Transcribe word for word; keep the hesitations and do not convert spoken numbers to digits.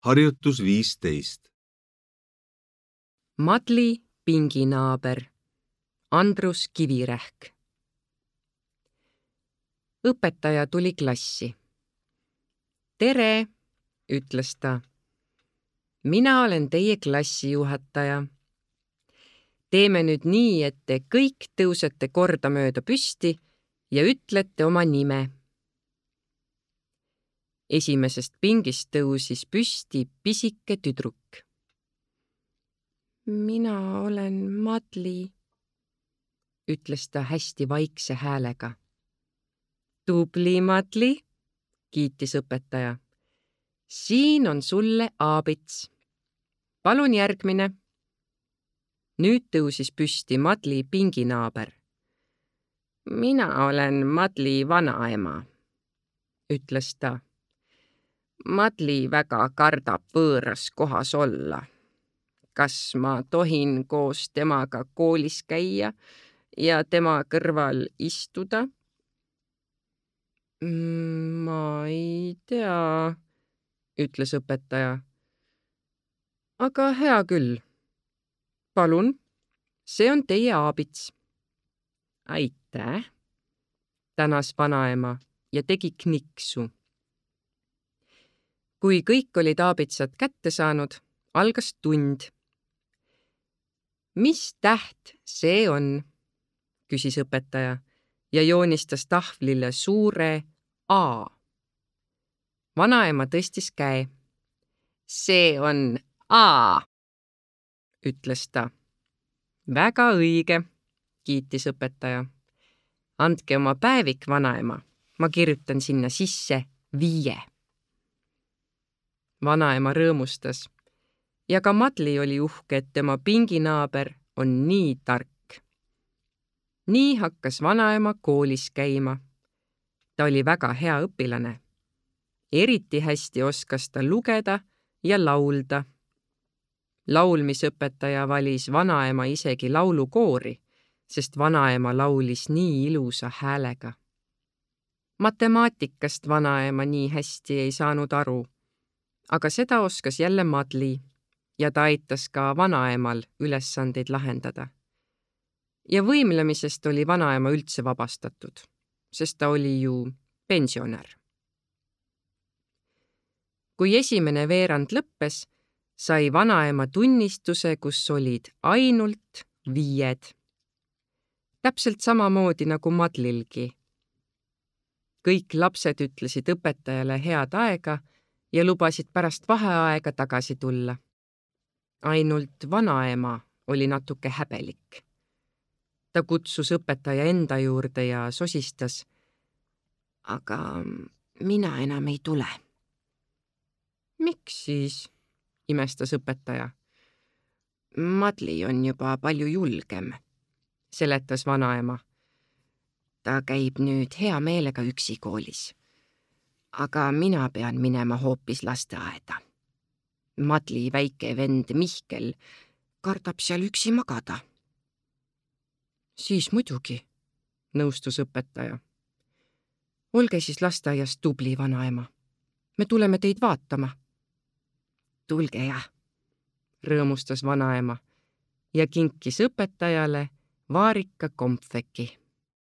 Harjutus viisteist. Madli pinginaaber, Andrus Kivirähk. Õpetaja tuli klassi. Tere, ütles ta. Mina olen teie klassijuhataja. Teeme nüüd nii, et te kõik tõusete kordamööda püsti ja ütlete oma nime. Esimesest pingist tõusis püsti pisike tüdruk. Mina olen Madli, ütles ta hästi vaikse häälega. Tubli, Madli, kiitis õpetaja. Siin on sulle aabits. Palun järgmine. Nüüd tõusis püsti Madli pinginaaber. Mina olen Madli vanaema, ütles ta. Madli väga kardab võõras kohas olla. Kas ma tohin koos temaga koolis käia ja tema kõrval istuda? Ma ei tea, ütles õpetaja. Aga hea küll. Palun, see on teie aabits. Aitäh, tänas vanaema ja tegi kniksu. Kui kõik olid aabitsad kätte saanud, algas tund. Mis täht see on? Küsis õpetaja ja joonistas tahvlile suure A. Vanaema tõstis käe. See on A, ütles ta. Väga õige, kiitis õpetaja. Andke oma päevik, vanaema. Ma kirjutan sinna sisse viie. Vanaema rõõmustas ja ka Madli oli uhke, et tema pinginaaber on nii tark. Nii hakkas vanaema koolis käima. Ta oli väga hea õpilane. Eriti hästi oskas ta lugeda ja laulda. Laulmisõpetaja valis vanaema isegi laulukoori, sest vanaema laulis nii ilusa häälega. Matemaatikast vanaema nii hästi ei saanud aru, aga seda oskas jälle Madli ja ta aitas ka vanaemal ülesandeid lahendada. Ja võimlemisest oli vanaema üldse vabastatud, sest ta oli ju pensionär. Kui esimene veerand lõppes, sai vanaema tunnistuse, kus olid ainult viied. Täpselt samamoodi nagu Madlilgi. Kõik lapsed ütlesid õpetajale head aega ja lubasid pärast vaheaega tagasi tulla. Ainult vanaema oli natuke häbelik. Ta kutsus õpetaja enda juurde ja sosistas. Aga mina enam ei tule. Miks siis? Imestas õpetaja. Madli on juba palju julgem, seletas vanaema. Ta käib nüüd hea meelega üksi koolis. Aga mina pean minema hoopis lasteaeda. Madli väike vend Mihkel kardab seal üksi magada. Siis muidugi, nõustus õpetaja. Olge siis lasteaias tubli, vanaema. Me tuleme teid vaatama. Tulge jah, rõõmustas vanaema ja kinkis õpetajale vaarika kompveki.